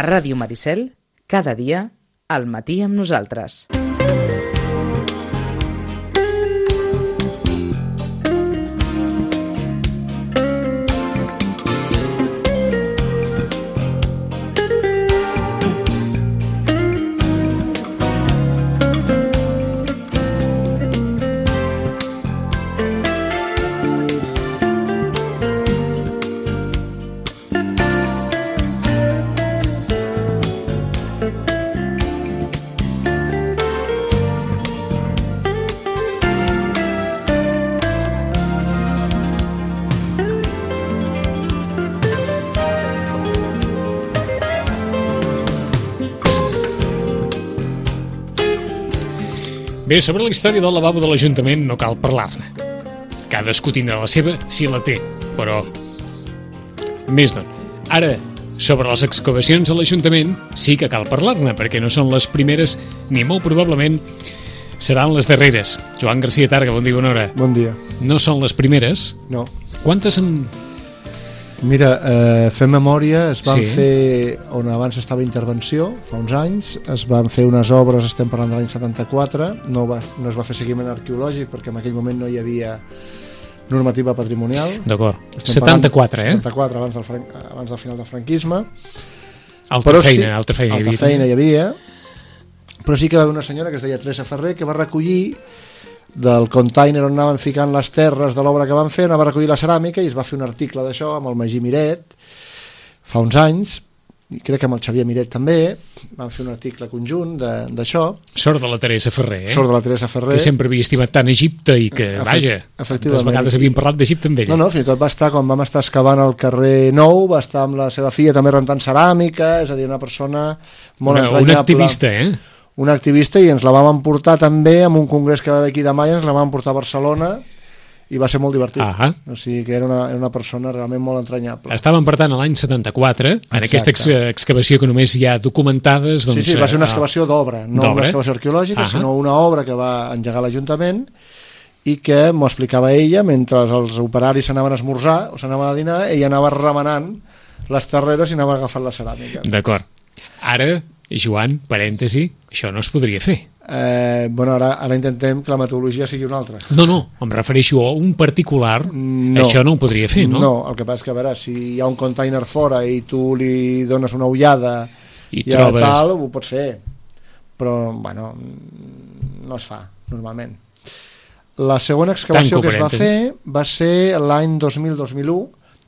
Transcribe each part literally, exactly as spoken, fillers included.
A Ràdio Maricel, cada dia, al matí amb nosaltres. Bé, sobre la història del lavabo de l'Ajuntament no cal parlar-ne. Cadascú tindrà la seva, si la té, però... Més d'on. Ara, sobre les excavacions a l'Ajuntament sí que cal parlar-ne, perquè no són les primeres, ni molt probablement seran les darreres. Joan García Targa, bon dia, bona hora. Bon dia. No són les primeres? No. Quantes en... Mira, eh, fent memòria, es van Sí. fer, on abans estava Intervenció, fa uns anys, es van fer unes obres, estem parlant de l'any setanta-quatre, no, va, no es va fer seguiment arqueològic perquè en aquell moment no hi havia normativa patrimonial. D'acord. Estem setanta-quatre, parlant, eh? setanta-quatre, abans del, fran... abans del final del franquisme. Altra Però feina, sí, altra feina. altra hi havia, feina també. hi havia, però sí que va haver una senyora que es deia Teresa Ferrer que va recollir del container on anaven ficant les terres de l'obra que van fer, anava a recollir la ceràmica i es va fer un article d'això amb el Magí Miret fa uns anys, i crec que amb el Xavier Miret també van fer un article conjunt d'això. Sort de la Teresa Ferrer, eh? Sort de la Teresa Ferrer, que sempre havia estimat tant Egipte i que, Efect- vaja, efectivament. tantes vegades havíem parlat d'Egipte amb ella. no, no, fins i tot va estar, quan vam estar excavant al carrer Nou, va estar amb la seva filla també rentant ceràmica, és a dir, una persona molt una, entranyable. una activista, eh? Una activista, i ens la vam emportar també amb un congrés que va haver aquí de Maia, ens la vam emportar a Barcelona i va ser molt divertit. Ah. O sigui que era una, era una persona realment molt entranyable. Estàvem, per tant, a l'any setanta-quatre, en Exacte. aquesta ex excavació que només hi ha documentades... Doncs, Sí, sí, va ser una eh, excavació d'obra, no d'obra. una excavació arqueològica, Ah. sinó una obra que va engegar l'Ajuntament i que m'ho explicava ella, mentre els operaris s'anaven a esmorzar o s'anaven a dinar, ella anava remenant les terreres i anava agafant la ceràmica. D'acord. Ara, Joan, parèntesi, això no es podria fer. Eh, bueno, ara, ara intentem que la metodologia sigui una altra. No, no, em refereixo a un particular, No. això no ho podria fer, no? No, el que passa és que, a veure, si hi ha un container fora i tu li dones una ullada I i, i trobes... tal, ho pots fer. Però, bueno, no es fa, normalment. La segona excavació Tanco que es va parèntesi. fer va ser l'any dos mil dos mil u,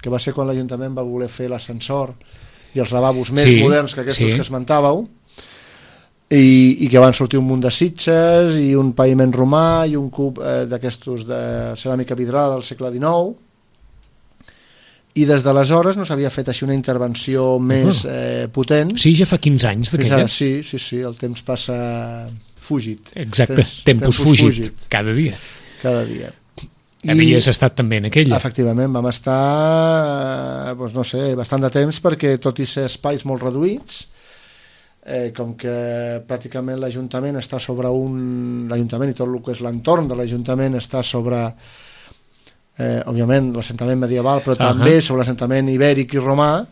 que va ser quan l'Ajuntament va voler fer l'ascensor i els lavabos més Sí, moderns que aquests sí. que esmentàveu, i, i que van sortir un munt de sitges i un paviment romà i un cub eh, d'aquestos de ceràmica vidrada del segle dinou, i des d'aleshores no s'havia fet així una intervenció més eh, potent. Sí, ja fa quinze anys Fins d'aquella. ara, sí, sí, sí, el temps passa fugit. Exacte, Temps- tempus tempus fugit, fugit. cada dia. Cada dia. Havies estat també en aquella. Efectivament, vam estar, eh, doncs no sé, bastant de temps, perquè tot i ser espais molt reduïts, eh, com que pràcticament l'Ajuntament està sobre un... l'Ajuntament i tot el que és l'entorn de l'Ajuntament està sobre, eh, òbviament, l'assentament medieval, però Uh-huh. també sobre l'assentament ibèric i romà,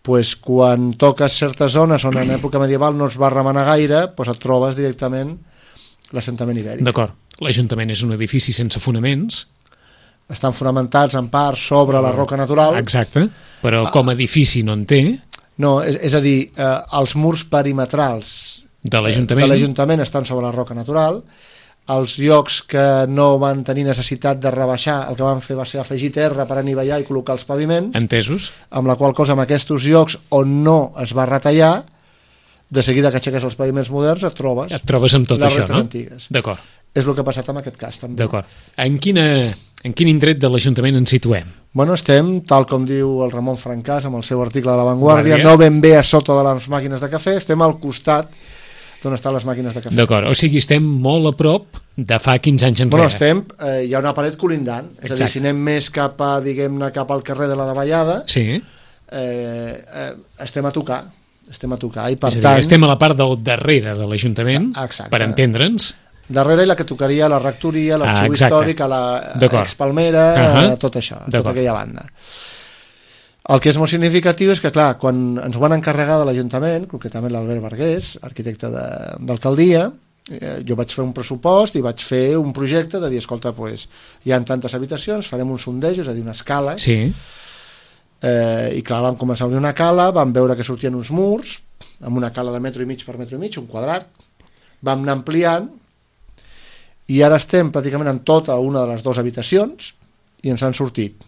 pues, quan toques certes zones on en època medieval no es va remenar gaire, pues et trobes directament l'assentament ibèric. D'acord. L'Ajuntament és un edifici sense fonaments. Estan fonamentats en part sobre la roca natural. Exacte, però com a edifici no en té, No, és, és a dir, eh, els murs perimetrals de l'Ajuntament. de l'Ajuntament estan sobre la roca natural. Els llocs que no van tenir necessitat de rebaixar, el que van fer va ser afegir terra per anivellar i col·locar els paviments, Entesos? amb la qual cosa en aquests llocs on no es va retallar, de seguida que aixeques els paviments moderns et trobes Et trobes amb tot les això, restes no? antigues. D'acord, És el que ha passat en aquest cas també. d'acord. En, quina, en quin indret de l'Ajuntament ens situem? Bueno, estem, tal com diu el Ramon Francàs amb el seu article de La Vanguardia, Guàrdia. no ben bé a sota de les màquines de cafè, estem al costat d'on estan les màquines de cafè. D'acord, o sigui, estem molt a prop de fa quinze anys enrere. Bueno, estem, eh, hi ha una paret col·lindant, és a dir, Exacte. si anem més cap a, diguem-ne, cap al carrer de la Davallada, Sí, eh, eh, estem a tocar, estem a tocar, i per és a dir, tant, estem a la part del darrere de l'Ajuntament, Exacte. per entendre'ns. darrere la que tocaria la rectoria, l'arxiu Ah, exacte. històric, a la D'acord. expalmera, Ahà. tot això, tota D'acord. aquella banda. El que és molt significatiu és que, clar, quan ens ho van encarregar de l'Ajuntament, concretament l'Albert Vergués, arquitecte de, d'alcaldia, eh, jo vaig fer un pressupost i vaig fer un projecte de dir, escolta, pues, hi ha tantes habitacions, farem un sondeig, és a dir, unes cales, Sí. eh, i clar, vam començar a obrir una cala, vam veure que sortien uns murs, amb una cala de metro i mig per metro i mig, un quadrat, vam anar ampliant, i ara estem pràcticament en tota una de les dues habitacions, i ens han sortit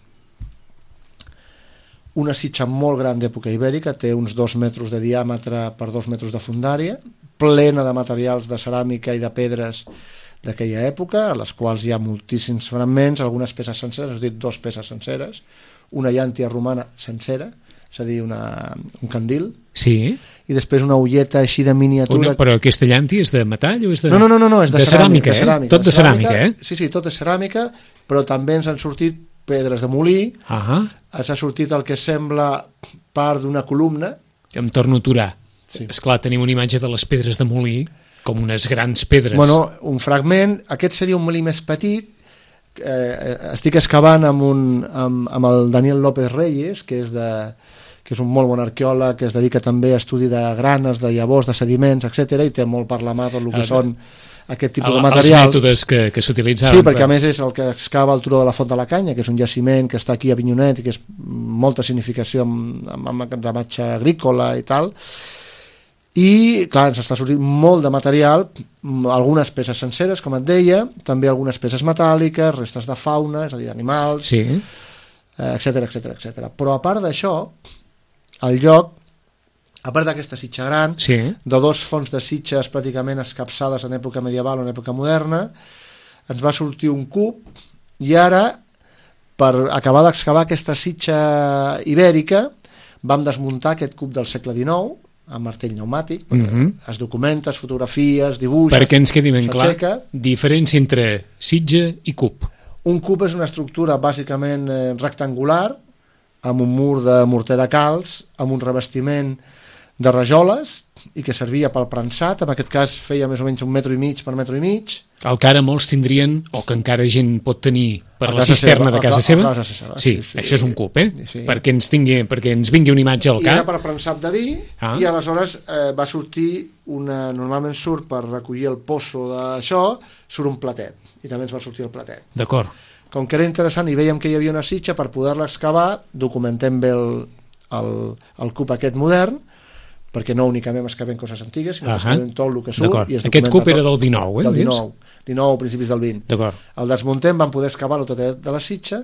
una sitxa molt gran d'època ibèrica, té uns dos metres de diàmetre per dos metres de fundària, plena de materials de ceràmica i de pedres d'aquella època, a les quals hi ha moltíssims fragments, algunes peces senceres, has dit dues peces senceres, una llàntia romana sencera, és a dir, una, un candil, Sí. i després una ulleta així de miniatura. Una, però aquesta llàntia és de metall o és de... No, no, no, no, no és de, de ceràmica, ceràmica, de ceràmica, eh? Tot de ceràmica, eh? Sí, sí, tot és ceràmica, però també ens han sortit pedres de molí, Ah, ens ha sortit el que sembla part d'una columna. em torno a aturar. Sí. Esclar, tenim una imatge de les pedres de molí com unes grans pedres. Bueno, un fragment, aquest seria un molí més petit, eh, estic excavant amb, un, amb, amb el Daniel López Reyes, que és, de, que és un molt bon arqueòleg, que es dedica també a estudi de granes, de llavors, de sediments, etcètera, i té molt per la mà tot el que El- són aquest tipus El, de els materials. mètodes que, que s'utilitzaven. Sí, perquè a més és el que excava el turó de la Font de la Canya, que és un jaciment que està aquí a Avinyonet i que és molta significació amb, amb, amb enramatge agrícola i tal. I, clar, ens està sortint molt de material, m- algunes peces senceres, com et deia, també algunes peces metàl·liques, restes de fauna, és a dir, animals, Sí, etcètera, etcètera, etcètera. Però a part d'això, el lloc, a part d'aquesta sitxa gran, sí. de dos fons de sitges pràcticament escapçades en època medieval o en època moderna, ens va sortir un cub, i ara, per acabar d'excavar aquesta sitxa ibèrica, vam desmuntar aquest cub del segle dinou, amb martell pneumàtic, Mhm. es documenta, es fotografies, dibuixes, Perquè ens quedi ben clar, s'aixeca. diferència entre sitge i cub. Un cub és una estructura bàsicament eh, rectangular, amb un mur de morter de calç, amb un revestiment de rajoles, i que servia pel prensat, en aquest cas feia més o menys un metro i mig per metro i mig. El que ara molts tindrien, o que encara gent pot tenir per A la casa cisterna seva, de a casa ca- seva, a casa seva, sí, sí, sí. això és un cub, eh? Sí. Perquè, ens tingui, perquè ens vingui una imatge al I era cap. per prensat de vi, Ah. i aleshores eh, va sortir una, normalment surt per recollir el poço d'això, surt un platet, i també ens va sortir el platet. D'acord. Com que era interessant i veiem que hi havia una sitxa, per poder-la excavar documentem bé el, el, el cub aquest modern, perquè no únicament excavem coses antigues, sinó que Ahà. excavem tot el que surt. D'acord. I es Aquest documenta cub era tot. del dinou, eh? Del dius? dinou, dinou, principis del vint. D'acord. El desmuntem, vam poder excavar-lo tot de la sitxa,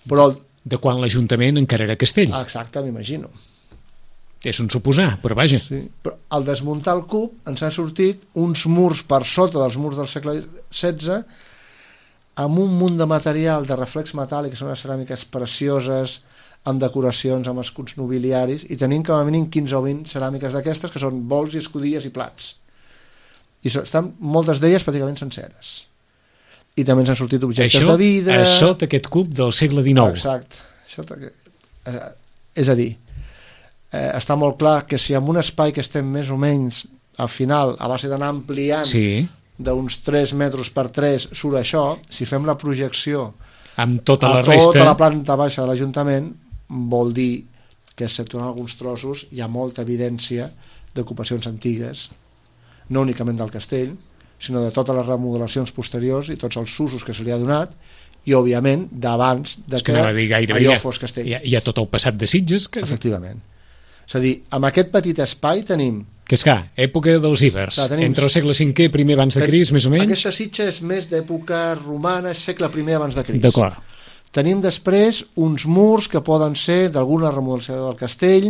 però... El... De quan l'Ajuntament encara era castell. Ah, exacte, m'imagino. És un suposar, però vaja. Sí. Però al desmuntar el cub ens han sortit uns murs per sota dels murs del segle setze amb un munt de material de reflex metàl·lic, que són unes ceràmiques precioses, amb decoracions, amb escuts nobiliaris, i tenim com a mínim quinze o vint ceràmiques d'aquestes, que són bols i escudilles i plats. I so, estan moltes d'elles pràcticament senceres. I també ens han sortit objectes Això de vidre... a sota aquest cub del segle dinou. Exacte. Això, eh, és a dir, eh, està molt clar que si en un espai que estem més o menys al final, a base d'anar ampliant Sí, d'uns tres metres per tres surt això, si fem la projecció amb tota la a tota resta... la planta baixa de l'Ajuntament, vol dir que exceptuant alguns trossos hi ha molta evidència d'ocupacions antigues, no únicament del castell, sinó de totes les remodelacions posteriors i tots els usos que se li ha donat, i òbviament d'abans de És que que, anava a dir gairebé allò hi ha, fos castell. hi, ha, hi ha tot el passat de Sitges que, Efectivament. És a dir, amb aquest petit espai tenim... que és clar, època dels ibers, Clar, tenim- entre el segle cinquè, primer abans de Crist, més o menys. Aquesta sitxa és més d'època romana, és segle primer abans de Crist. D'acord. Tenim després uns murs que poden ser d'alguna remodelació del castell,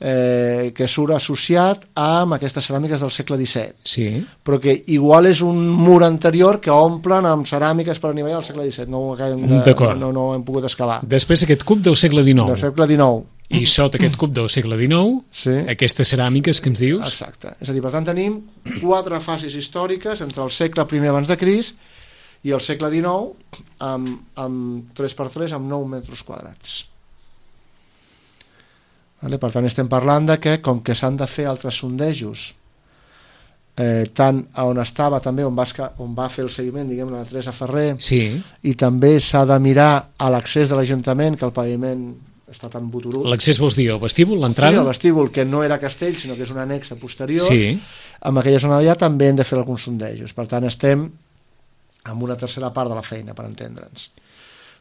eh, que surt associat amb aquestes ceràmiques del segle disset, Sí, però que igual és un mur anterior que omplen amb ceràmiques per anivellar del segle disset, no ho acabem de, D'acord. no, no ho hem pogut excavar. després aquest cub del segle dinou. Del segle dinou. I sota aquest cub del segle dinou, Sí. aquestes ceràmiques que ens dius, Exacte. És a dir, per tant, tenim quatre fases històriques entre el segle primer abans de Crist i el segle dinou amb, amb tres per tres, amb nou metres quadrats. Vale? Per tant, estem parlant de que, com que s'han de fer altres sondejos, eh, tant a on estava també, on va, esca- on va fer el seguiment, diguem, la Teresa Ferrer, sí, i també s'ha de mirar a l'accés de l'Ajuntament, que el paviment està tan boturut. L'accés vols dir el vestíbul, l'entrada? Sí, el vestíbul, que no era castell, sinó que és una anexa posterior. Sí. En aquella zona d'allà també hem de fer alguns sondejos. Per tant, estem amb una tercera part de la feina, per entendre'ns.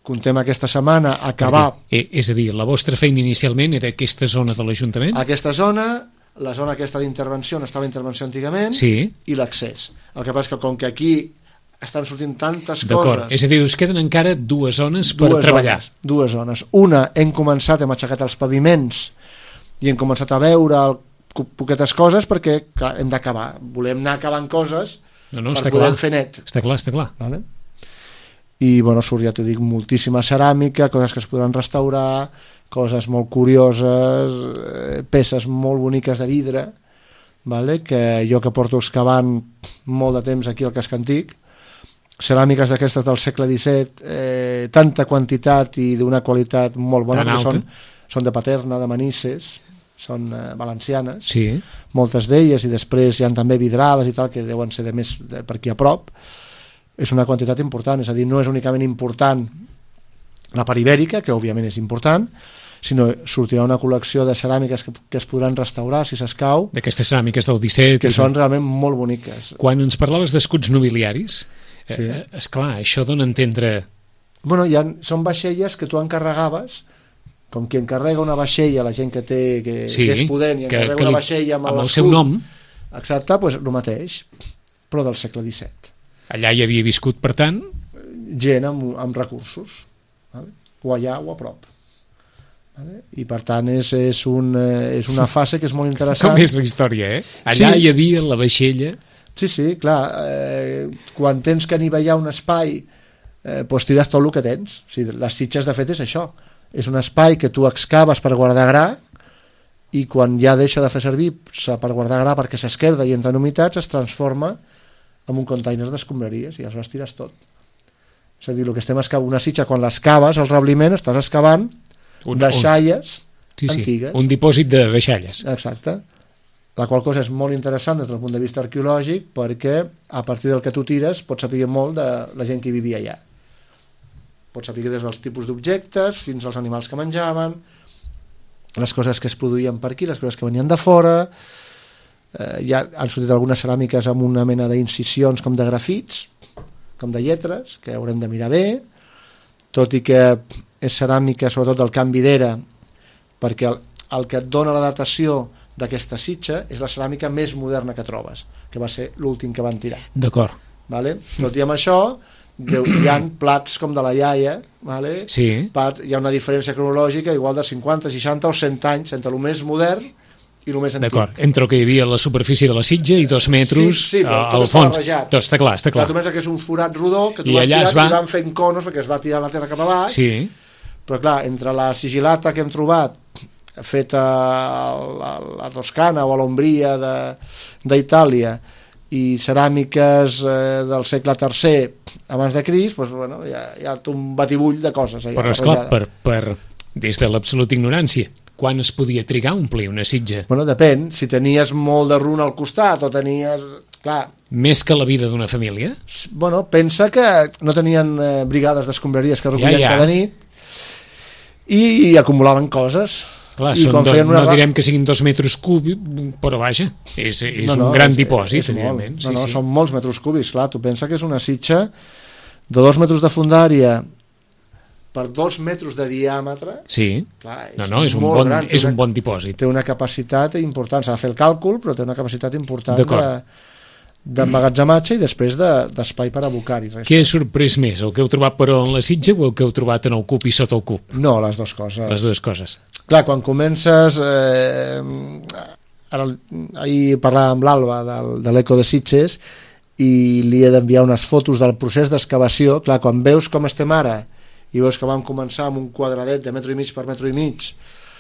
Contem aquesta setmana acabar... Perquè, és a dir, la vostra feina inicialment era aquesta zona de l'Ajuntament? Aquesta zona, la zona aquesta d'intervenció, on estava intervenció antigament, sí. I l'accés. El que passa és que com que aquí estan sortint tantes coses... D'acord, és a dir, us queden encara dues zones per dues treballar. Zones, dues zones. Una, hem començat, hem aixecat els paviments i hem començat a veure el, poquetes coses perquè clar, hem d'acabar. Volem anar acabant coses no, no, per poder clar. Fer net. Està clar, està clar. Vale? I, bueno, surt, ja t'ho dic, moltíssima ceràmica, coses que es podran restaurar, coses molt curioses, eh, peces molt boniques de vidre, vale? Que jo que porto excavant molt de temps aquí al casc antic, ceràmiques d'aquestes del segle disset, eh, tanta quantitat i d'una qualitat molt bona, que són, són de Paterna, de Manises, són eh, valencianes, sí. Moltes d'elles, i després hi ha també vidrades i tal, que deuen ser de més de, per aquí a prop. És una quantitat important, és a dir, no és únicament important la part ibèrica, que òbviament és important, sinó sortirà una col·lecció de ceràmiques que, que es podran restaurar si s'escau. D'aquestes ceràmiques del disset. Que són realment molt boniques. Quan ens parlaves d'escuts nobiliaris, sí. Eh, esclar, això dona a entendre... Bueno, ha, són vaixelles que tu encarregaves, com qui encarrega una vaixella, la gent que té que, sí, que és pudent i encarrega que, que li, una vaixella amb, amb el seu nom. Exacte, doncs el mateix, però del segle disset. Allà hi havia viscut, per tant... Gent amb, amb recursos, vale? O allà o a prop. Vale? I per tant és, és, un, és una fase que és molt interessant. Com és la història, eh? Allà sí. Hi havia la vaixella... Sí, sí, clar, eh, quan tens que anivellar un espai, eh, doncs tires tot el que tens. O sigui, les Sitges, de fet, és això. És un espai que tu excaves per guardar gra i quan ja deixa de fer servir per guardar gra perquè s'esquerda i entra en humitats, es transforma en un container d'escombraries i aleshores tires tot. És a dir, el que estem excavant, una sitja, quan l'excaves, el rebliment, estàs excavant un, deixalles un, sí, antigues. Sí, un dipòsit de deixalles. Exacte. La qual cosa és molt interessant des del punt de vista arqueològic perquè a partir del que tu tires pots saber molt de la gent que vivia allà. Pots saber des dels tipus d'objectes fins als animals que menjaven, les coses que es produïen per aquí, les coses que venien de fora. Eh, ja han sortit algunes ceràmiques amb una mena d'incisions com de grafits, com de lletres, que haurem de mirar bé, tot i que és ceràmica sobretot del canvi d'era, perquè el, el que et dona la datació d'aquesta sitja és la ceràmica més moderna que trobes, que va ser l'últim que van tirar. D'acord. Vale? Tot i amb això, hi ha plats com de la iaia, vale? Sí. Hi ha una diferència cronològica igual de cinquanta, seixanta o cent anys entre el més modern i el més antic. D'acord, entre el que hi havia a la superfície de la sitja i dos metres sí, sí, al fons. Tot està clar, està clar. clar tu penses que és un forat rodó que tu I vas tirar va... i van fent conos perquè es va tirar la terra cap a baix. Sí. Però clar, entre la sigil·lata que hem trobat feta a la, la Toscana o a l'Ombria d'Itàlia i ceràmiques eh, del segle tercer abans de Crist, doncs, bueno, hi, ha, hi ha un batibull de coses. Allà, però esclar, per, per, des de l'absoluta ignorància, quan es podia trigar a omplir una sitja? Bueno, depèn, si tenies molt de runa al costat o tenies... Clar, més que la vida d'una família? Bueno, pensa que no tenien eh, brigades d'escombraries que recollien ja, ja. cada nit i, i acumulaven coses. Clar, són do, no direm que siguin dos metres cúbics, però vaja, és, és no, no, un gran és, dipòsit, és evidentment. No, sí, no, sí. Són molts metres cúbics, clar, tu pensa que és una sitja de dos metres de fondària per dos metres de diàmetre. Sí, clar, és no, no, és, un bon, gran, és un bon dipòsit. Té una capacitat important, s'ha de fer el càlcul, però té una capacitat important d'emmagatzematge i després d'espai de, per abocar-hi. Què ha sorprès més, el que heu trobat però en la sitja o el que heu trobat en el cub i sota el cub? No, les dues coses. Les dues coses. Clar, quan comences... Eh, ara, ahir parlàvem amb l'Alba de, de l'Eco de Sitges i li he d'enviar unes fotos del procés d'excavació. Clar, quan veus com estem ara i veus que vam començar amb un quadradet de metro i mig per metro i mig,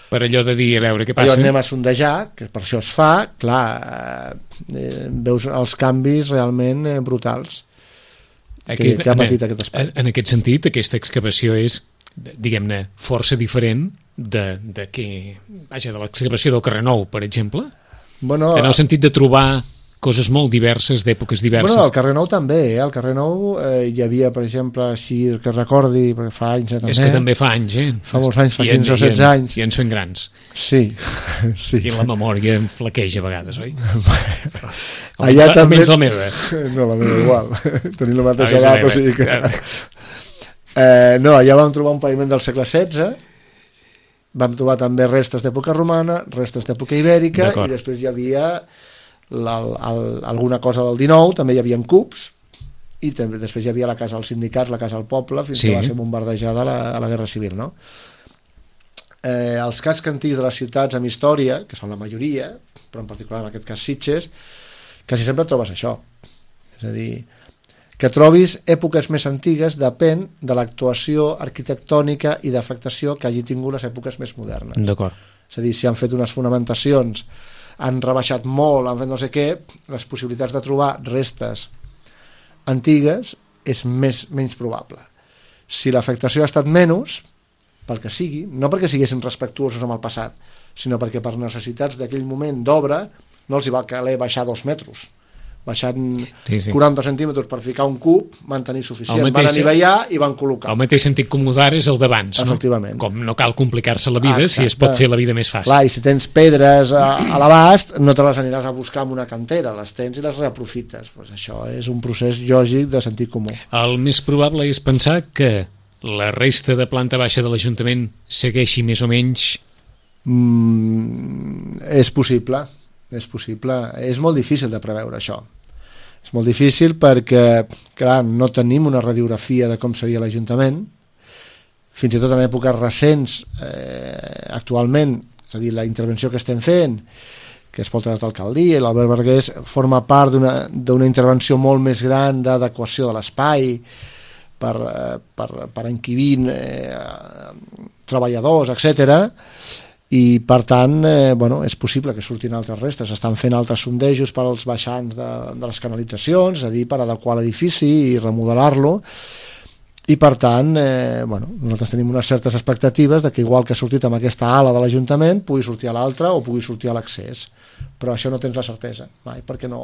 per allò de dir, a veure què passa, allò anem a sondejar, que per això es fa, clar, eh, veus els canvis realment eh, brutals aquest, que, que ha patit aquest espai. En aquest sentit, aquesta excavació és, diguem-ne, força diferent de, de, que, vaja, de l'excavació del Carrer Nou, per exemple, bueno, en el sentit de trobar coses molt diverses, d'èpoques diverses. Bueno, al carrer Nou també, eh? Al carrer Nou eh, hi havia, per exemple, així que recordi, perquè fa anys eh, també. És que també fa anys, eh? Fa molts anys, fa I quinze o setze anys. I ens fem grans. Sí, sí. I la memòria em flaqueja a vegades, oi? Allà també... Almenys la meva. No, la meva igual. Tenim la mateixa Ah, edat, o sigui que... Eh, no, allà vam trobar un paviment del segle setze, vam trobar també restes d'època romana, restes d'època ibèrica, i després hi havia la, el, alguna cosa del dinou, també hi havia cubs, i també, després hi havia la casa dels sindicats, la casa del poble, fins sí. que va ser bombardejada a la, a la Guerra Civil, no? Eh, els cascs antics de les ciutats amb història, que són la majoria, però en particular en aquest cas Sitges, quasi sempre trobes això. És a dir, que trobis èpoques més antigues depèn de l'actuació arquitectònica i d'afectació que hagi tingut les èpoques més modernes. D'acord. És a dir, si han fet unes fonamentacions, han rebaixat molt, han fet no sé què, les possibilitats de trobar restes antigues és més, menys probable. Si l'afectació ha estat menys, pel que sigui, no perquè siguessin respectuosos amb el passat, sinó perquè per necessitats d'aquell moment d'obra no els hi va caler baixar dos metres. Baixant sí, sí. quaranta centímetres per ficar un cub, van tenir suficient. Mateix, van anivellar i van col·locar. El mateix sentit comú d'ara és el d'abans, no? Efectivament. Com no cal complicar-se la vida, Exacte. si es pot fer la vida més fàcil. Clar, i si tens pedres a, a l'abast, no te les aniràs a buscar en una cantera, les tens i les reaprofites. Pues això és un procés lògic de sentit comú. El més probable és pensar que la resta de planta baixa de l'Ajuntament segueixi més o menys... Mm, és possible, és possible. És molt difícil de preveure això. És molt difícil perquè, clar, no tenim una radiografia de com seria l'Ajuntament. Fins i tot en èpoques recents, eh, actualment, és a dir, la intervenció que estem fent, que es porta des d'alcaldia, i l'Albert Vergués forma part d'una intervenció molt més gran d'adequació de l'espai per, per, per enquibir eh, treballadors, etcètera. I per tant, eh, bueno, és possible que surtin altres restes. Estan fent altres sondejos per als baixants de, de les canalitzacions, és a dir, per adequar l'edifici i remodelar-lo, i per tant, eh, bueno, nosaltres tenim unes certes expectatives de que igual que ha sortit amb aquesta ala de l'Ajuntament pugui sortir a l'altra o pugui sortir a l'accés, però això no tens la certesa mai, perquè no...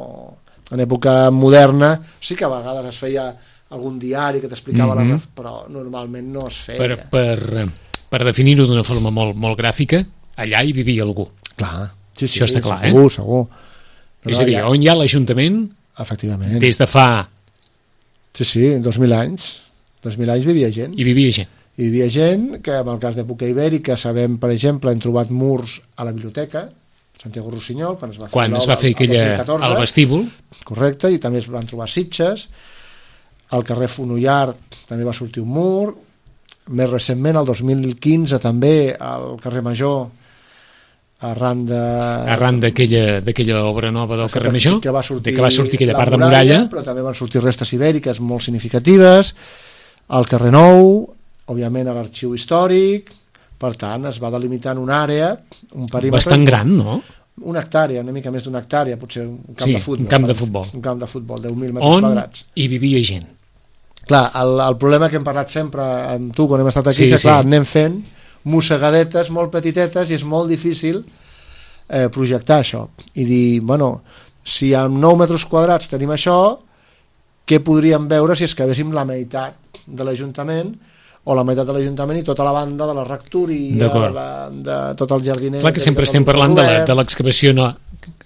En època moderna sí que a vegades es feia algun diari que t'explicava mm-hmm. la... però normalment no es feia. Per, per, per definir-ho d'una forma molt, molt gràfica, allà hi vivia algú. Clar, sí, sí, això està clar, segur, eh? segur. No, és a dir, allà... on hi ha l'Ajuntament, efectivament, des de fa... Sí, sí, dos mil anys. dos mil anys vivia gent. Hi vivia gent. Hi vivia gent que, en el cas d'època ibèrica, sabem, per exemple, hem trobat murs a la biblioteca, Santiago Rossinyol, quan es va fer, quan es va fer aquella, al vestíbul. Correcte, i també es van trobar sitges. Al carrer Fonollar també va sortir un mur. Més recentment, el dos mil quinze, també, al carrer Major, arran de... arran d'aquella obra nova del carrer Major, que va sortir, que va sortir aquella part muralla, de muralla. Però també van sortir restes ibèriques molt significatives. Al carrer Nou, òbviament a l'arxiu històric. Per tant, es va delimitant una àrea, un perímetre... Bastant gran, no? Una hectàrea, una mica més d'una hectàrea, potser un camp sí, de futbol. un camp de futbol. Un camp de futbol, deu mil metres on quadrats. On hi vivia gent. Clar, el, el problema que hem parlat sempre amb tu quan hem estat aquí, sí, que clar, sí. anem fent mossegadetes molt petitetes i és molt difícil eh, projectar això. I dir, bueno, si amb nou metres quadrats tenim això, què podríem veure si escavéssim la meitat de l'Ajuntament o la meitat de l'Ajuntament i tota la banda de la rectoria, de, la, de tot el jardiner... Clar que sempre estem parlant de l'excavació, no...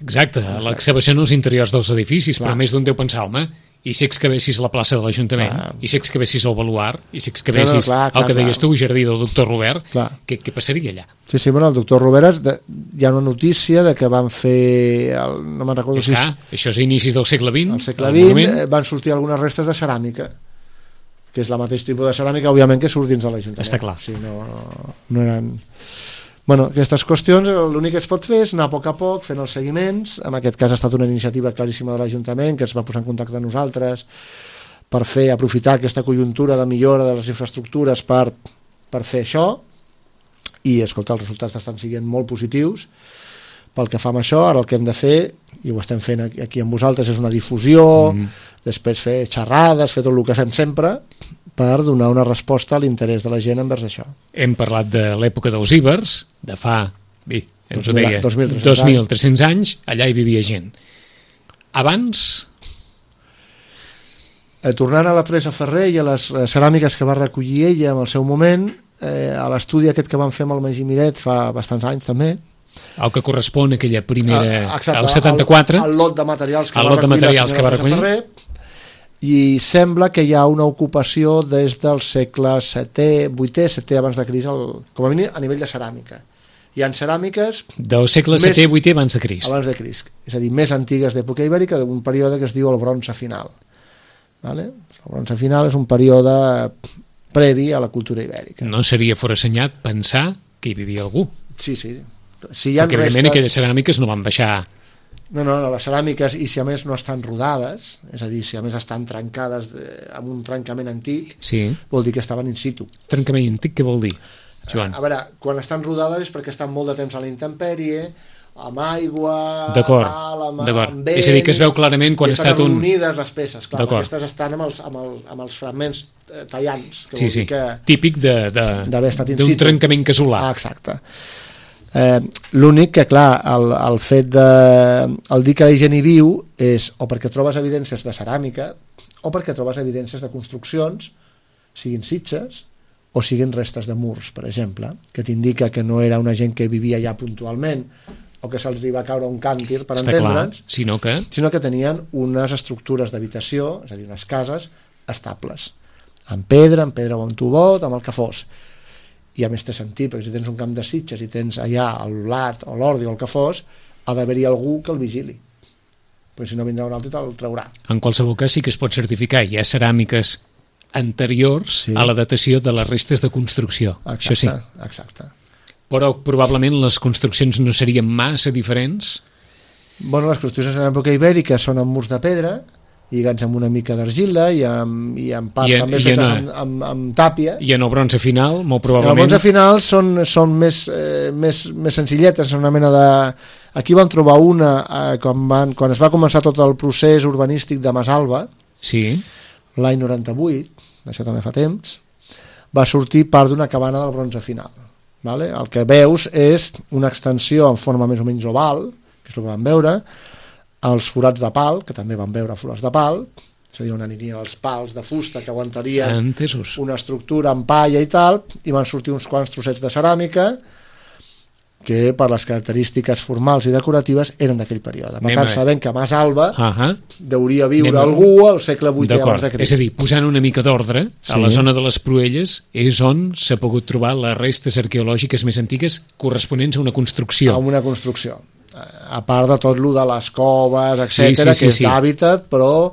Exacte, l'excavació no als interiors dels edificis, clar. Però més d'un deu pensar, home, i si excavessis la plaça de l'Ajuntament, clar. I si excavessis el baluard, i si excavessis no, no, clar, clar, el que deies tu, jardí del doctor Robert, què, què passaria allà? Sí, sí, bueno, el doctor Robert, de, hi ha una notícia de que van fer, el, no me'n recordo és si... Clar, això és a inicis del segle vint. Al segle vint van sortir algunes restes de ceràmica, que és la mateix tipus de ceràmica, òbviament, que surt dins de l'Ajuntament. Està clar. Sí, no, no, no eren... Bueno, aquestes qüestions, l'únic que es pot fer és anar a poc a poc, fent els seguiments. En aquest cas ha estat una iniciativa claríssima de l'Ajuntament, que es va posar en contacte amb nosaltres per fer, aprofitar aquesta conjuntura de millora de les infraestructures per, per fer això, i, escolta, els resultats estan sent molt positius. Pel que fa amb això, ara el que hem de fer, i ho estem fent aquí amb vosaltres, és una difusió, mm. després fer xerrades, fer tot el que fem sempre, per donar una resposta a l'interès de la gent envers això. Hem parlat de l'època dels íbers, de fa, bé, ens ho deia, dos mil tres cents anys, allà hi vivia gent. abans... Eh, tornant a la Teresa Ferrer i a les eh, ceràmiques que va recollir ella en el seu moment, eh, a l'estudi aquest que van fer amb el Magí Miret fa bastants anys també, el que correspon a aquella primera... Ah, exacte, al setanta-quatre, el, el lot de materials que el va lot de recollir materials la que va senyora recollir. Ferrer, i sembla que hi ha una ocupació des del segle setè, vuitè, setè abans de Crist, el, com a mínim a nivell de ceràmica. Hi ha ceràmiques... Del segle setè, vuitè abans de Crist. Abans de Crist, és a dir, més antigues d'època ibèrica, d'un període que es diu el bronze final. Vale? El bronze final és un període previ a la cultura ibèrica. No seria forassenyat pensar que hi vivia algú. Sí, sí. Si hi ha Perquè, restes... evidentment, aquelles ceràmiques no van baixar... No, no, no, les ceràmiques, i si a més no estan rodades, és a dir, si a més estan trencades de, amb un trencament antic, Sí. vol dir que estaven in situ. Trencament antic, què vol dir, Joan? A veure, quan estan rodades és perquè estan molt de temps a la intempèrie, amb aigua, D'acord, tal, amb, d'acord. amb vent... És a dir, que es veu clarament quan i ha estat un... unides les peces, clar, D'acord. aquestes estan amb els, amb, el, amb els fragments eh, tallants, que Sí, vol sí, dir que... típic de, de, d'haver estat in d'un situ. trencament casolà. Ah, exacte. Eh, l'únic que, clar, el, el fet de el dir que la gent hi viu és o perquè trobes evidències de ceràmica o perquè trobes evidències de construccions, siguin sitges o siguin restes de murs, per exemple, que t'indica que no era una gent que vivia allà puntualment o que se'ls va caure un càntir, per Està clar, entendre'ns, sinó que... sinó que tenien unes estructures d'habitació, és a dir, unes cases estables, amb pedra, amb pedra o amb tubot, amb el que fos. I a més té sentit, perquè si tens un camp de sitges i tens allà el blat o l'ordi o el que fos, ha d'haver-hi algú que el vigili, perquè si no vindrà un altre i te'l traurà. En qualsevol cas sí que es pot certificar. Hi ha ceràmiques anteriors Sí. a la datació de les restes de construcció. Exacte, Això sí. exacte. Però probablement les construccions no serien massa diferents. Bueno, les construccions en l'època ibèrica són amb murs de pedra, lligats amb una mica d'argila i amb, i amb part I en- també i fetes en- amb, amb, amb tàpia. I en el bronze final, molt Els probablement... bronze final són, són més, eh, més, més senzilletes, són una mena de... Aquí van trobar una eh, quan, van, quan es va començar tot el procés urbanístic de Masalba, Sí, l'any noranta-vuit, això també fa temps, va sortir part d'una cabana del bronze final. Vale? El que veus és una extensió en forma més o menys oval, que és el que vam veure, els forats de pal, que també van veure forats de pal, és a dir, on anirien els pals de fusta que aguantarien entesos. una estructura amb palla i tal, i van sortir uns quants trossets de ceràmica que per les característiques formals i decoratives eren d'aquell període. Per Anem tant, a- sabem que a Mas Alba Ahà. deuria viure Anem a- algú al segle vuitè abans D'acord, de Crist. és a dir, posant una mica d'ordre, a Sí. la zona de les Pruelles és on s'ha pogut trobar les restes arqueològiques més antigues corresponents a una construcció. Amb una construcció. A part de tot lo de les coves, etcètera, Sí, sí, sí, que és sí. d'hàbitat, però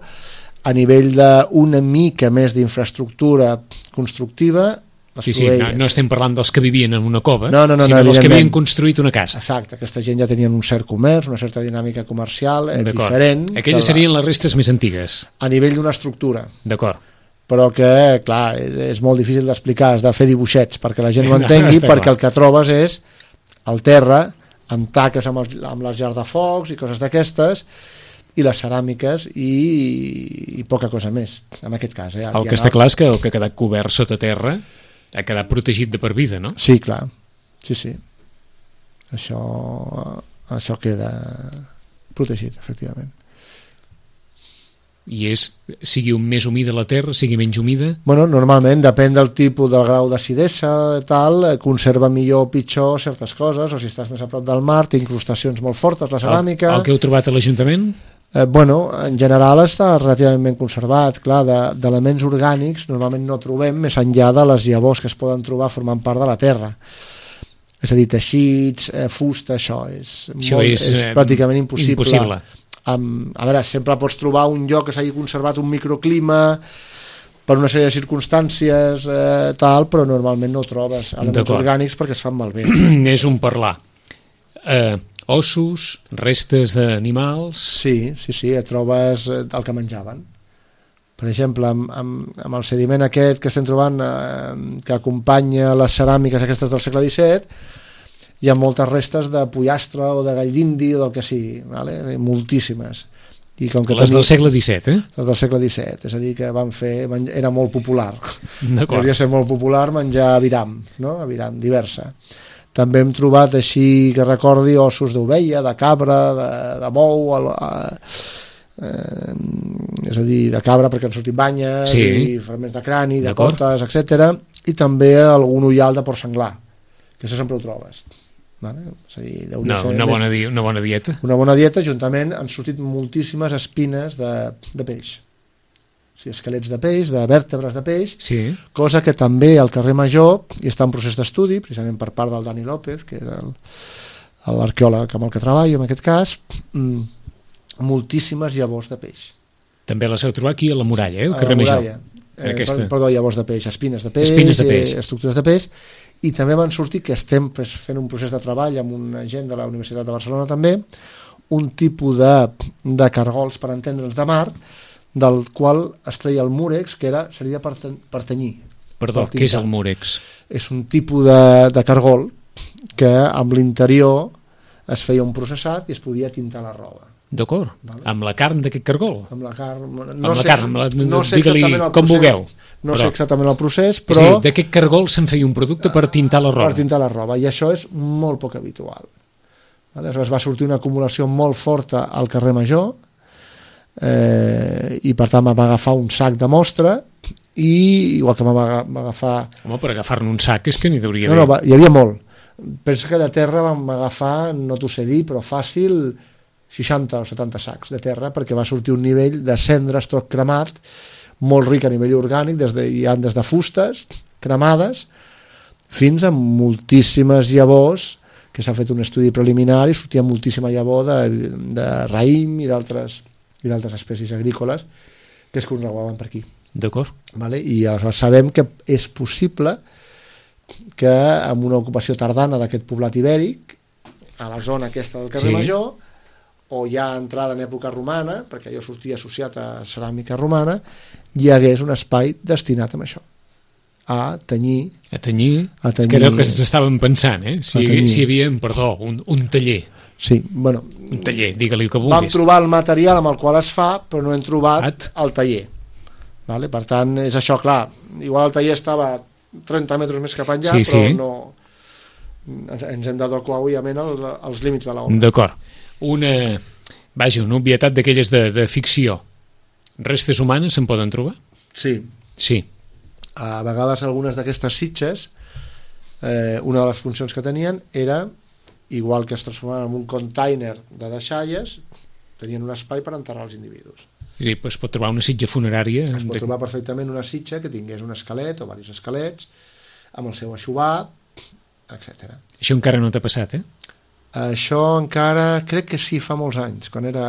a nivell d'una mica més d'infraestructura constructiva, les Sí, sí, no, Cruelles. no estem parlant dels que vivien en una cova, No, no, no, sinó no, dels que evidentment. havien construït una casa. Exacte, aquesta gent ja tenien un cert comerç, una certa dinàmica comercial eh, D'acord. diferent. que Aquelles la- serien les restes més antigues. a nivell d'una estructura, D'acord. però que, clar, és molt difícil d'explicar, has de fer dibuixets perquè la gent ho No, entengui, està perquè clar. el que trobes és el terra, amb taques amb, els, amb les llars de focs i coses d'aquestes, i les ceràmiques i, i poca cosa més, en aquest cas. Eh? El Hi que ha està clar és que el que ha quedat cobert sota terra ha quedat protegit de per vida, no? Sí, clar, sí, sí. Això, això queda protegit, efectivament. I és, sigui un més humida la terra, sigui menys humida... Bueno, normalment, depèn del tipus, del grau d'acidesa, tal, eh, conserva millor o pitjor certes coses, o si estàs més a prop del mar, té incrustacions molt fortes, la ceràmica... El, el que heu trobat a l'Ajuntament? Eh, bueno, en general està relativament ben conservat, clar, de- d'elements orgànics normalment no trobem més enllà de les llavors que es poden trobar formant part de la terra. És a dir, teixits, eh, fusta, això és, Això molt, és, és eh, pràcticament impossible. impossible. Amb, a veure, sempre pots trobar un lloc que s'hagi conservat un microclima per una sèrie de circumstàncies, eh, tal, però normalment no ho trobes elements D'acord. orgànics perquè es fan malbé. És un parlar. Eh, ossos, restes d'animals... Sí, sí, sí, et trobes eh, el que menjaven. Per exemple, amb, amb, amb el sediment aquest que estem trobant, eh, que acompanya les ceràmiques aquestes del segle disset, hi ha moltes restes de pollastre o de gall d'indi o del que sigui, vale? Moltíssimes. I com que Les tenia- del segle disset, eh? les del segle disset, és a dir, que van fer, van- era molt popular. D'acord. Devia ser molt popular menjar aviram, no? Aviram, diversa. També hem trobat així, que recordi, ossos d'ovella, de cabra, de, de bou, el, a, eh, és a dir, de cabra perquè han sortit banyes, sí. i fragments de crani, de cotes, etcètera, i també algun ullal de porc senglar, que això sempre ho trobes. Vale? És a dir, no, una, bona di una bona dieta. Una bona dieta, juntament han sortit moltíssimes espines de, de peix. O sigui, esquelets de peix, de vèrtebres de peix, sí. cosa que també al carrer Major hi està en procés d'estudi, precisament per part del Dani López, que era l'arqueòleg amb el que treballo en aquest cas, mmm, moltíssimes llavors de peix. També les heu trobat aquí a la Muralla, eh? Al a carrer la Major. Eh, aquesta... Perdó, llavors de peix, espines de peix, espines de peix. Eh, estructures de peix, i també van sortir, que estem fent un procés de treball amb una gent de la Universitat de Barcelona també, un tipus de, de cargols, per entendre'ns, de mar, del qual es treia el múrex, que era, seria per, ten, per tenyir. Perdó, per què és el múrex? És un tipus de, de cargol que amb l'interior es feia un processat i es podia tintar la roba. D'acord, vale. Amb la carn d'aquest cargol? Amb la carn, no amb sé, la carn, la, no sé exactament el com procés, vulgueu. No però, sé exactament el procés, però... Sí, d'aquest cargol se'n feia un producte per tintar la roba. Per tintar la roba, i això és molt poc habitual. Aleshores va sortir una acumulació molt forta al carrer Major, eh, i per tant va agafar un sac de mostra, i igual que va agafar... Home, per agafar-ne un sac és que n'hi hauria no, no, va, hi havia molt. Penso que de terra vam agafar, no t'ho sé dir, però fàcil seixanta o setanta sacs de terra, perquè va sortir un nivell de cendra, estroc cremat, molt ric a nivell orgànic, des de, hi ha des de fustes cremades fins a moltíssimes llavors, que s'ha fet un estudi preliminar i sortia moltíssima llavor de, de raïm i d'altres i d'altres espècies agrícoles que es conregaven per aquí. D'acord. Vale? I aleshores sabem que és possible que amb una ocupació tardana d'aquest poblat ibèric, a la zona aquesta del carrer sí. Major, o ja entrada en època romana, perquè allò sortia associat a ceràmica romana, hi hagués un espai destinat a això, a tenyir... A tenyir? A tenyir... És que era el que s'estaven pensant, eh? Si, si hi havia, perdó, un, un taller. Sí, bueno... Un taller, digue-li el que vulguis. Vam trobar el material amb el qual es fa, però no hem trobat At? el taller. Vale? Per tant, és això, clar, igual el taller estava trenta metres més cap enllà, sí, però sí. no... Ens hem d'adequar, òbviament, als límits de l'obra. D'acord. Una, vaja, una obvietat d'aquelles de, de ficció. Restes humanes se'n poden trobar? Sí. Sí. A vegades algunes d'aquestes sitges, eh, una de les funcions que tenien era, igual que es transformaven en un container de deixalles, tenien un espai per enterrar els individus. Sí, es pot trobar una sitja funerària. Es pot trobar perfectament una sitja que tingués un esquelet o diversos esquelets, amb el seu aixovar, etcètera. Això encara no t'ha passat, eh? Això encara, crec que sí, fa molts anys, quan era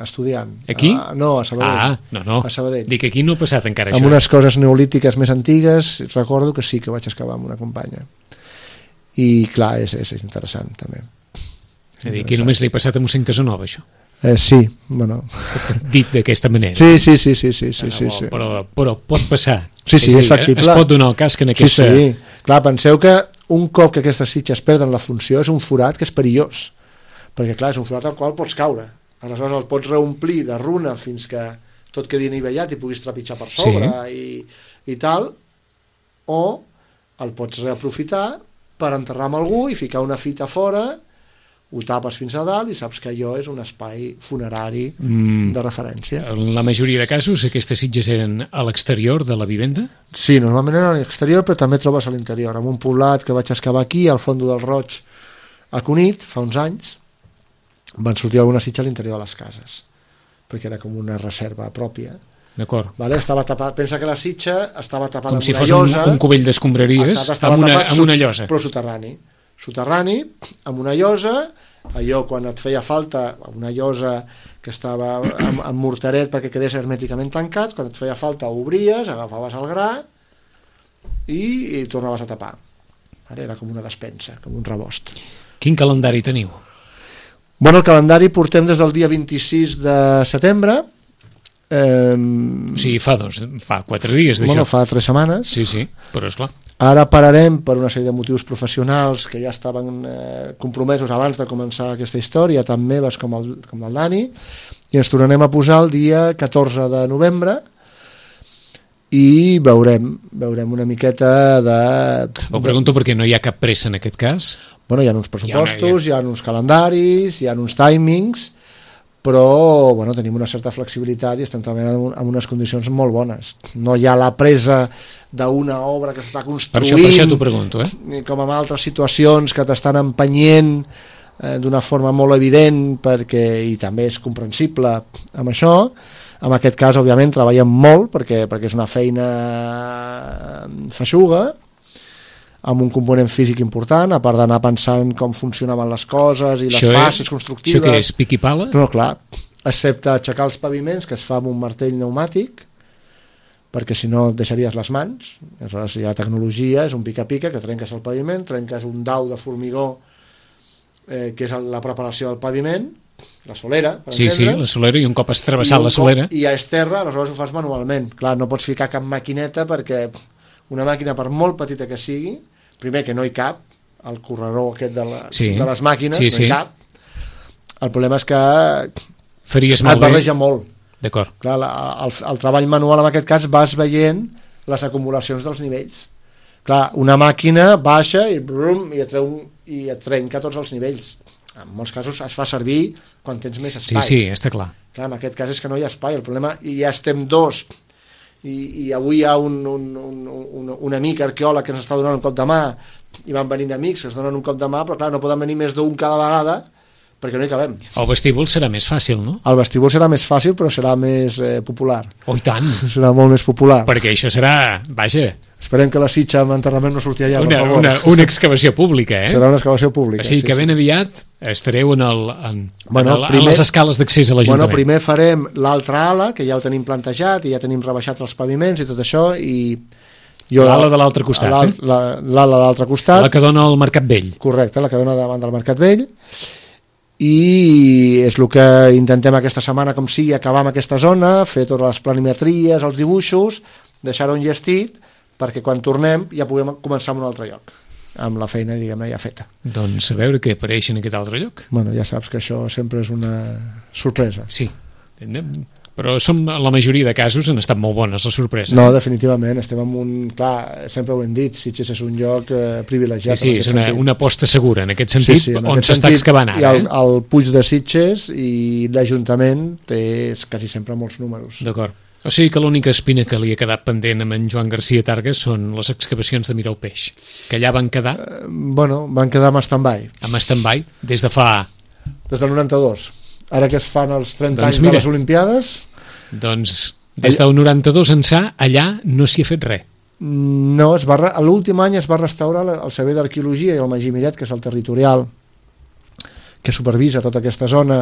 estudiant. Aquí? Ah, no, a Sabadell. Ah, no, no. A Sabadell. Dic que aquí no ha passat encara amb això. Amb unes coses neolítiques més antigues, recordo que sí, que vaig excavar amb una companya. I clar, és, és, és interessant, també. És a dir, aquí només li ha passat a mossèn Casanova, això. Eh, sí, bueno... Dit d'aquesta manera. Sí, sí, sí, sí, sí, sí, ah, sí, bo, sí. Però, però pot passar. Sí, sí, és, és factible. Es pot donar el cas que en aquesta... Sí, sí. Clar, penseu que un cop que aquestes sitges perden la funció és un forat que és perillós, perquè clar, és un forat al qual pots caure, aleshores el pots reomplir de runa fins que tot quedi anivellat i puguis trepitjar per sobre, sí. i, i tal, o el pots reaprofitar per enterrar amb algú i ficar una fita fora, ho tapes fins a dalt i saps que allò és un espai funerari mm. de referència. En la majoria de casos aquestes sitges eren a l'exterior de la vivenda? Sí, normalment eren a l'exterior, però també trobes a l'interior. En un poblat que vaig excavar aquí, al Fondo del Roig, a Cunit, fa uns anys, van sortir alguna sitja a l'interior de les cases, perquè era com una reserva pròpia. D'acord. Vale? Estava tapat, pensa que la sitja estava tapada com amb si una fos llosa. Un, un cubell d'escombraries amb, una, amb una llosa. Però soterrani. Soterrani, amb una llosa, allò quan et feia falta, una llosa que estava amb, amb mortaret perquè quedés hermèticament tancat, quan et feia falta obries, agafaves el gra i, i tornaves a tapar. Era com una despensa, com un rebost. Quin calendari teniu? Bueno, el calendari portem des del dia vint-i-sis de setembre. Eh, o sigui, fa, dos, fa quatre dies d'això. Bueno, fa tres setmanes. Sí, sí, però esclar. Ara pararem per una sèrie de motius professionals que ja estaven eh, compromesos abans de començar aquesta història, tant meves com el, com el Dani, i ens tornarem a posar el dia catorze de novembre i veurem, veurem una miqueta de... Ho pregunto de... perquè no hi ha cap pressa en aquest cas. Bueno, hi ha uns pressupostos, hi ha, una, hi ha... hi ha uns calendaris, hi ha uns timings, però bueno, tenim una certa flexibilitat i estem treballant en unes condicions molt bones. No hi ha la presa d'una obra que s'està construint, per això, per això t'ho pregunto, eh? com en altres situacions que t'estan empenyent eh, d'una forma molt evident, perquè, i també és comprensible amb això. En aquest cas, òbviament, treballem molt perquè, perquè és una feina feixuga, amb un component físic important, a part d'anar pensant com funcionaven les coses i les això fases és, constructives. Això què és, pic i pala? No, clar, excepte aixecar els paviments, que es fa amb un martell pneumàtic, perquè si no et deixaries les mans. Aleshores hi ha tecnologia, és un pica-pica que trenques el paviment, trenques un dau de formigó eh, que és la preparació del paviment, la solera, per sí, entendre's. Sí, la solera, i un cop has travessat la solera... I ja és terra, aleshores ho fas manualment. Clar, no pots ficar cap maquineta perquè una màquina, per molt petita que sigui, primer que no hi cap, el corredor aquest de, la, sí. de les màquines, sí, no hi sí. cap. El problema és que faries et molt barreja bé. molt. D'acord. Clar, la, el, el treball manual en aquest cas vas veient les acumulacions dels nivells. Clar, una màquina baixa i, brum, i, et treu, i et trenca tots els nivells. En molts casos es fa servir quan tens més espai. Sí, sí, està clar. Clar, en aquest cas és que no hi ha espai. El problema, i ja estem dos, i, i avui hi ha un, un, un, un, un amic arqueòleg que ens està donant un cop de mà, i van venint amics que es donen un cop de mà, però clar, no poden venir més d'un cada vegada, perquè no hi cabem. El vestíbul serà més fàcil, no? El vestíbul serà més fàcil, però serà més eh, popular. Oh, i tant! Serà molt més popular. Perquè això serà, vaja... Esperem que la sitxa amb enterrament no surti allà, una, per favor. Una, una excavació pública, eh? Serà una excavació pública. O sigui sí, que ben sí. aviat estareu en, el, en, bueno, en, el, primer, en les escales d'accés a l'Ajuntament. Bueno, primer farem l'altra ala, que ja ho tenim plantejat, i ja tenim rebaixat els paviments i tot això, i... L'ala de l'altre costat, l'ala, eh? L'ala de l'altre costat. La que dona al Mercat Vell. Correcte, la que dona davant del Mercat Vell. I és el que intentem aquesta setmana, com sigui, acabar amb aquesta zona, fer totes les planimetries, els dibuixos, deixar-ho enllestit, perquè quan tornem ja puguem començar en un altre lloc, amb la feina, diguem-ne, ja feta. Doncs a veure què apareix en aquest altre lloc. Bueno, ja saps que això sempre és una sorpresa. Sí, però som, en la majoria de casos han estat molt bones les sorpreses. No, definitivament, estem en un... Clar, sempre ho hem dit, Sitges és un lloc eh, privilegiat. Sí, sí, és una, una aposta segura en aquest sentit, sí, sí, en on s'està excavant ara. I el, eh? el Puig de Sitges i l'Ajuntament té quasi sempre molts números. D'acord. O sigui que l'única espina que li ha quedat pendent amb en Joan García Targas són les excavacions de Mirar el Peix, que allà van quedar... Uh, bueno, van quedar amb stand-by. Amb stand-by, des de fa... Des del noranta-dos. Ara que es fan els trenta doncs anys mira, de les Olimpiades... Doncs des del noranta-dos ençà, allà no s'hi ha fet res. No, es va, l'últim any es va restaurar el Servei d'Arqueologia i el Magí Miret, que és el territorial que supervisa tota aquesta zona.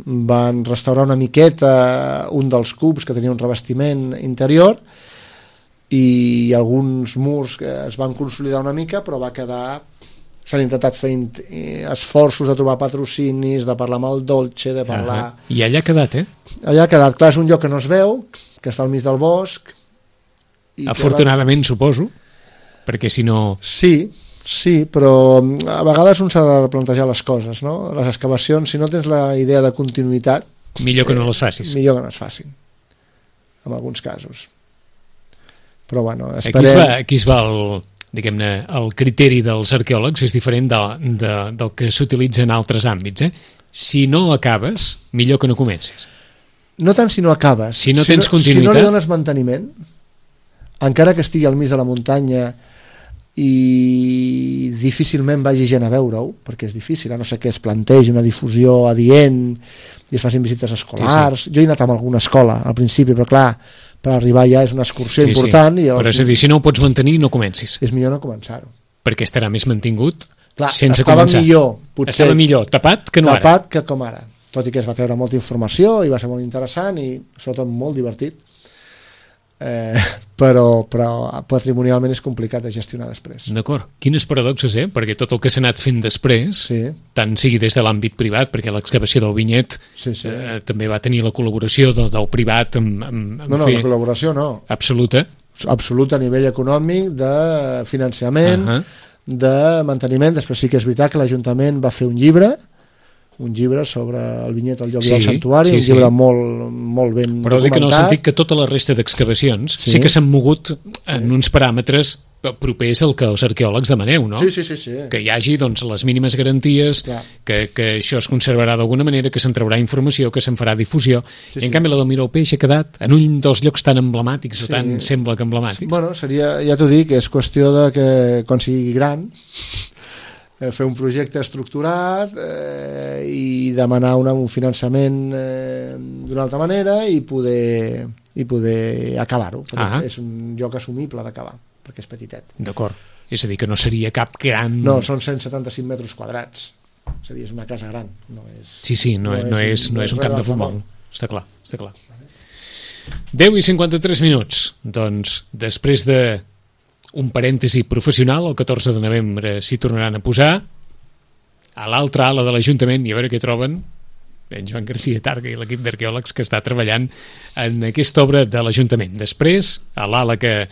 Van restaurar una miqueta un dels cubs que tenia un revestiment interior i alguns murs que es van consolidar una mica, però va quedar... S'han intentat fer esforços de trobar patrocinis, de parlar amb el Dolce, de parlar... Uh-huh. I allà ha quedat, eh? Allà ha quedat. Clar, és un lloc que no es veu, que està al mig del bosc... I Afortunadament, va... suposo, perquè si no... Sí, sí, però a vegades un s'ha de replantejar les coses, no? Les excavacions, si no tens la idea de continuïtat... Millor que no les facis. Eh, millor que no es facin, en alguns casos. Però bueno, esperem... Aquí es va, aquí es va el... diguem-ne, el criteri dels arqueòlegs és diferent de, de, del que s'utilitza en altres àmbits, eh? Si no acabes, millor que no comencis. No tant si no acabes. Si no si tens no, continuïtat... Si no li dones manteniment, encara que estigui al mig de la muntanya i difícilment vagi gent a veure-ho, perquè és difícil, a no ser que es plantegi una difusió adient i es facin visites escolars. Sí, sí. Jo he anat a alguna escola al principi, però clar, per arribar ja és una excursió sí, important. Sí. I els... Però és a dir, si no ho pots mantenir, no comencis. És millor no començar-ho. Perquè estarà més mantingut clar, sense estava començar. Millor, potser, estava millor tapat que no tapat ara. Tapat que com ara. Tot i que es va treure molta informació i va ser molt interessant i sobretot molt divertit. Eh, però, però patrimonialment és complicat de gestionar després. D'acord. Quines paradoxes, eh? Perquè tot el que s'ha anat fent després, sí. tant sigui des de l'àmbit privat, perquè l'excavació del vinyet sí, sí. Eh, també va tenir la col·laboració del, del privat amb, amb, amb no, no, fer... la col·laboració no. Absoluta. Absoluta a nivell econòmic, de finançament, uh-huh. de manteniment. Després sí que és veritat que l'Ajuntament va fer un llibre un llibre sobre el vinyet, el lloc sí, i el santuari, sí, un llibre sí. molt, molt ben però documentat. Dic en el sentit que tota la resta d'excavacions sí, sí que s'han mogut en uns paràmetres propers al que els arqueòlegs demaneu, no? Sí, sí, sí, sí. Que hi hagi doncs, les mínimes garanties, que, que això es conservarà d'alguna manera, que se'n traurà informació, que se'n farà difusió. Sí, I en sí. canvi la del Miró Peix ha quedat en un dels llocs tan emblemàtics, Sí. o tan sembla que emblemàtics. Bueno, seria, ja t'ho dic, és qüestió de que quan sigui gran eh, fer un projecte estructurat eh, i demanar una, un finançament eh, d'una altra manera i poder, i poder acabar-ho, perquè Ah. és un lloc assumible d'acabar, perquè és petitet. D'acord. És a dir, que no seria cap gran... No, són cent setanta-cinc metres quadrats. És a dir, és una casa gran. No és, Sí, sí, no, no, no, és, no és un camp de res futbol. d'altre món. Està clar, està clar. deu i cinquanta-tres minuts. Doncs, després de un parèntesi professional, el catorze de novembre s'hi tornaran a posar, a l'altra ala de l'Ajuntament, i a veure què troben en Joan García Targa i l'equip d'arqueòlegs que està treballant en aquesta obra de l'Ajuntament. Després, a l'ala que,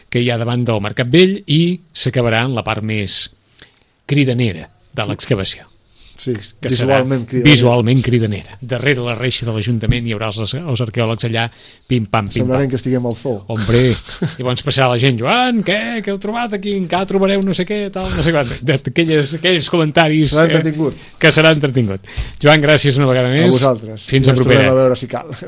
que hi ha davant del Mercat Vell, i s'acabarà en la part més cridanera de l'excavació. Sí, Que visualment serà cridanera. visualment cridanera. Darrere la reixa de l'Ajuntament hi haurà els, els arqueòlegs allà, pim-pam, pim-pam. Semblarem que estiguem al zoo. Hombre, i llavors passarà la gent, Joan, què, què heu trobat aquí? Encara trobareu no sé què, tal, no sé quant. D'aquelles, aquells comentaris Serà entretingut. que serà entretingut. Joan, gràcies una vegada més. A vosaltres. Fins I a ens propera. tornem a veure si cal.